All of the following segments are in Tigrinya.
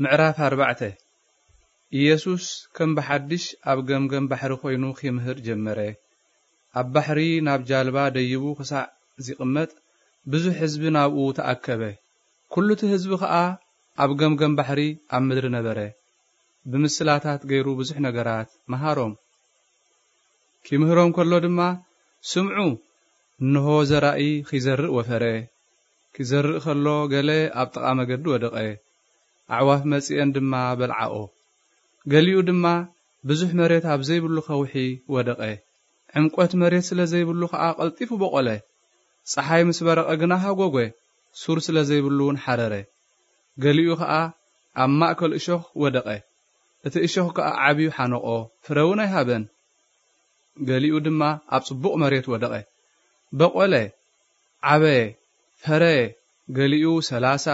ምዕራፍ ኣርባዕተ። ኢየሱስ ከም ብሓድሽ ኣብ ገምገም ባሕሪ ኮይኑ ኺምህር ጀመረ። ኣብ ባሕሪ ናብ ጃልባ ደይቡ ኽሳዕ ዚቕመጥ፣ ብዙሕ ህዝቢ ናብኡ ተኣከበ። ኩሉ እቲ ህዝቢ ኸኣ ኣብ ገምገም ባሕሪ ኣብ ምድሪ ነበረ። ብምስላታት ገይሩ ብዙሕ ነገራት መሃሮም። ኪምህሮም ከሎ ድማ፣ "ስምዑ፣ እንሆ ዘራኢ ኺዘርእ ወፈረ። ኪዘርእ ከሎ ገለ ኣብ ጥቓ መገዲ ወደቐ፣ ኣዕዋፍ መጺኤን ድማ በልዓኦ። ገሊኡ ድማ ብዙሕ መሬት ኣብ ዘይብሉ ኸውሒ ወደቐ። ዕምቆት መሬት ስለ ዘይብሉ ኸኣ ቀልጢፉ በቖለ። ጸሓይ ምስ በረቐ ግና ሃጎጎ፣ ሱር ስለ ዘይብሉ እውን ሓረረ። ገሊኡ ኸኣ ኣብ ማእከል እሾኽ ወደቐ። እቲ እሾኽ ከኣ ዓብዩ ሓነቖ፣ ፍረ እውን ኣይሃበን። ገሊኡ ድማ ኣብ ጽቡቕ መሬት ወደቐ። በቖለ፣ ዓበየ፣ ፈረየ፣ ገሊኡ ሰላሳ፣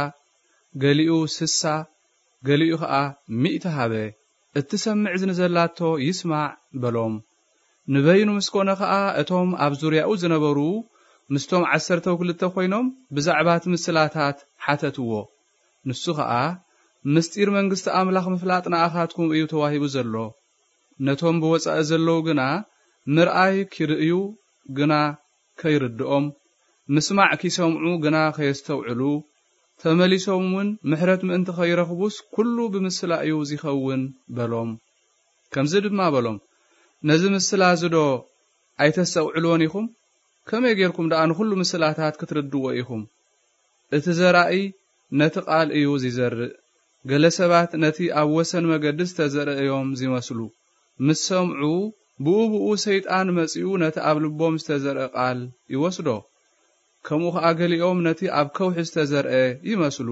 ገሊኡ ስሳ፣ ገሊኡ ኸኣ ሚእቲ ሃበ። እትሰምዕ እዝኒ ዘላቶ ይስማዕ" በሎም። ንበይኑ ምስ ኮነ ኸኣ፣ እቶም ኣብ ዙርያኡ ዝነበሩ ምስቶም ዓሰርተው ክልተ ኮይኖም ብዛዕባ እቲ ምስላታት ሓተትዎ። ንሱ ኸኣ፣ "ምስጢር መንግስቲ ኣምላኽ ምፍላጥ ንኣኻትኩም እዩ ተዋሂቡ ዘሎ። ነቶም ብወጻኢ ዘለዉ ግና ምርኣይ ኪርእዩ ግና ከይርድኦም፣ ምስማዕ ኪሰምዑ ግና ከየስተውዕሉ፣ ተመሊሶም እውን ምሕረት ምእንቲ ኸይረኽቡስ ኩሉ ብምስላ እዩ ዚኸውን" በሎም። ከምዚ ድማ በሎም፣ "ነዚ ምስላ እዚ ዶ ኣይተስተውዕልዎን ኢኹም? ከመይ ጌርኩም ደኣ ንኹሉ ምስላታት ክትርድዎ ኢኹም? እቲ ዘራኢ ነቲ ቃል እዩ ዚዘርእ። ገለ ሰባት ነቲ ኣብ ወሰን መገዲ ዝተዘርአ እዮም ዚመስሉ። ምስ ሰምዑ፣ ብኡ ብኡ ሰይጣን መጺኡ ነቲ ኣብ ልቦም ዝተዘርአ ቃል ይወስዶ። ከምኡ ኸኣ ገሊኦም ነቲ ኣብ ከውሒ ዝተዘርአ ይመስሉ።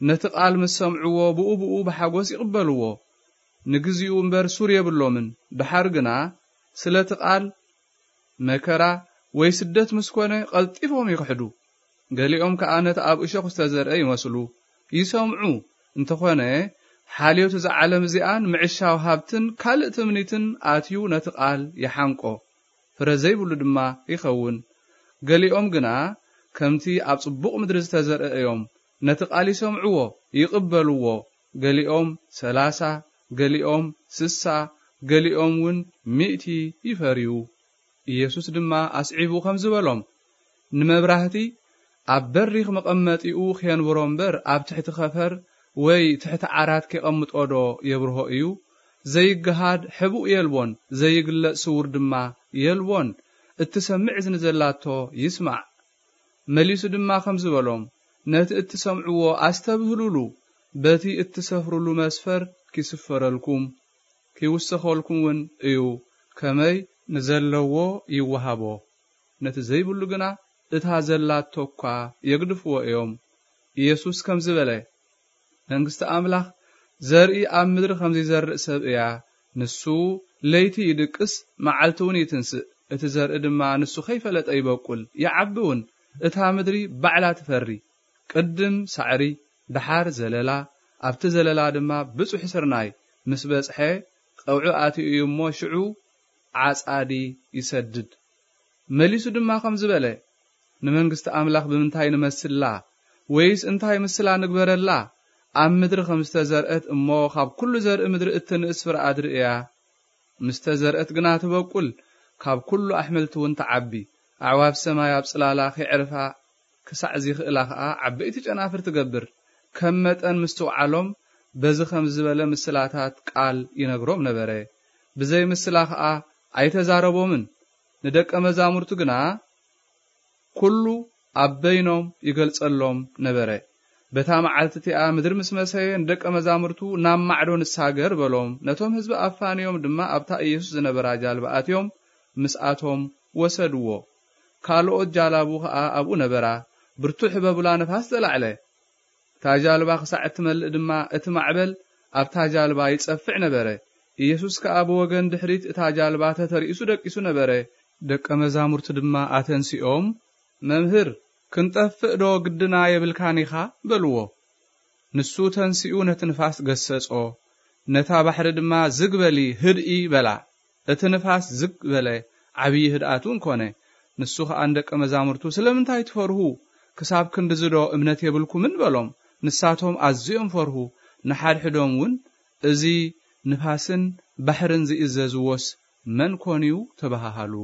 ነቲ ቃል ምስ ሰምዕዎ፣ ብኡ ብኡ ብሓጎስ ይቕበልዎ። ንግዚኡ እምበር ሱር የብሎምን። ደሓር ግና ስለቲ ቃል መከራ ወይ ስደት ምስ ኮነ፣ ቀልጢፎም ይኽሕዱ። ገሊኦም ከኣ ነቲ ኣብ እሾኽ ዝተዘርአ ይመስሉ። ይሰምዑ፣ እንተኾነ፣ ሓልዮት እዛ ዓለም እዚኣን ምዕሻው ሃብትን ካልእ ትምኒትን ኣትዩ ነቲ ቃል ይሓንቆ፣ ፍረ ዘይብሉ ድማ ይኸውን። ገሊኦም ግና ከምቲ ኣብ ጽቡቕ ምድሪ ዝተዘርአ እዮም። ነቲ ቃል ይሰምዕዎ፣ ይቕበልዎ። ገሊኦም ሰላሳ፣ ገሊኦም ስሳ፣ ገሊኦም እውን ሚእቲ ይፈርዩ። ኢየሱስ ድማ ኣስዒቡ ከምዚ በሎም፣ "ንመብራህቲ ኣብ በሪኽ መቐመጢኡ ኼንብሮ እምበር፣ ኣብ ትሕቲ ኸፈር ወይ ትሕቲ ዓራት ኬቐምጦ ዶ የብርሆ እዩ? ዘይገሃድ ሕቡእ የልቦን፣ ዘይግለጽ ስዉር ድማ የልቦን። እትሰምዕ እዝኒ ዘላቶ ይስማዕ።" መሊሱ ድማ ከምዚ በሎም፣ "ነቲ እትሰምዕዎ ኣስተብህሉሉ፣ በቲ እትሰፍሩሉ መስፈር ኪስፈረልኩም፣ ኪውሰኸልኩም እውን እዩ። ከመይ ንዘለዎ ይወሃቦ፣ ነቲ ዘይብሉ ግና እታ ዘላቶ እኳ የግድፍዎ እዮም።" ኢየሱስ ከምዚ በለ፣ "መንግስቲ ኣምላኽ ዘርኢ ኣብ ምድሪ ከም ዚዘርእ ሰብ እያ። ንሱ ለይቲ ይድቅስ፣ መዓልቲ እውን ይትንስእ። እቲ ዘርኢ ድማ ንሱ ከይፈለጠ ይበቁል፣ ይዓቢ እውን። እታ ምድሪ ባዕላ ትፈሪ። ቅድም ሳዕሪ፣ ደሓር ዘለላ፣ ኣብቲ ዘለላ ድማ ብጹሕ ስርናይ። ምስ በጽሐ፣ ቀውዒ ኣትዩ እዩ እሞ፣ ሽዑ ዓጻዲ ይሰድድ።" መሊሱ ድማ ከምዚ በለ፣ "ንመንግስቲ ኣምላኽ ብምንታይ ንመስላ? ወይስ እንታይ ምስላ ንግበረላ? ኣብ ምድሪ ከም ዝተዘርአት እሞ፣ ካብ ኩሉ ዘርኢ ምድሪ እትንእስ ፍረ ኣድሪ እያ። ምስ ተዘርአት ግና ትበቁል፣ ካብ ኩሉ ኣሕምልቲ እውን ትዓቢ። ኣዕዋፍ ሰማይ ኣብ ጽላላ ኺዕርፋ ክሳዕ ዚኽእላ ኸኣ ዓበይቲ ጨናፍር ትገብር። ከም መጠን ምስትውዓሎም በዚ ኸም ዝበለ ምስላታት ቃል ይነግሮም ነበረ። ብዘይ ምስላ ኸኣ ኣይተዛረቦምን። ንደቀ መዛሙርቱ ግና ኩሉ ኣብ በይኖም ይገልጸሎም ነበረ። በታ መዓልቲ እቲኣ ምድሪ ምስ መሰየ ንደቀ መዛሙርቱ ናብ ማዕዶ ንሳገር በሎም። ነቶም ህዝቢ ኣፋንዮም ድማ ኣብታ ኢየሱስ ዝነበራ ጃልባ ኣትዮም ምስኣቶም ወሰድዎ። ካልኦት ጃላቡ ኸኣ ኣብኡ ነበራ። ብርቱዕ ህበቡላ ነፋስ ተላዕለ። እታ ጃልባ ክሳዕ እትመልእ ድማ እቲ ማዕበል ኣብታ ጃልባ ይጸፍዕ ነበረ። ኢየሱስ ከኣ ብወገን ድሕሪት እታ ጃልባ ተተሪእሱ ደቂሱ ነበረ። ደቀ መዛሙርቱ ድማ ኣተንሲኦም፣ "መምህር፣ ክንጠፍእ ዶ ግድና የብልካን ኢኻ?" በልዎ። ንሱ ተንሲኡ ነቲ ንፋስ ገሰጾ። ነታ ባሕሪ ድማ፣ "ዝግ በሊ፣ ህድኢ" በላ። እቲ ንፋስ ዝግ በለ፣ ዓብዪ ህድኣት እውን ኮነ። ንሱ ኸኣ ንደቀ መዛሙርቱ፣ "ስለምንታይ ትፈርሁ? ክሳብ ክንድዚ ዶ እምነት የብልኩምን?" በሎም። ንሳቶም ኣዝዮም ፈርሁ። ንሓድሕዶም እውን፣ "እዚ ንፋስን ባሕርን ዝእዘዝዎስ መን ኮን እዩ?" ተባሃሃሉ።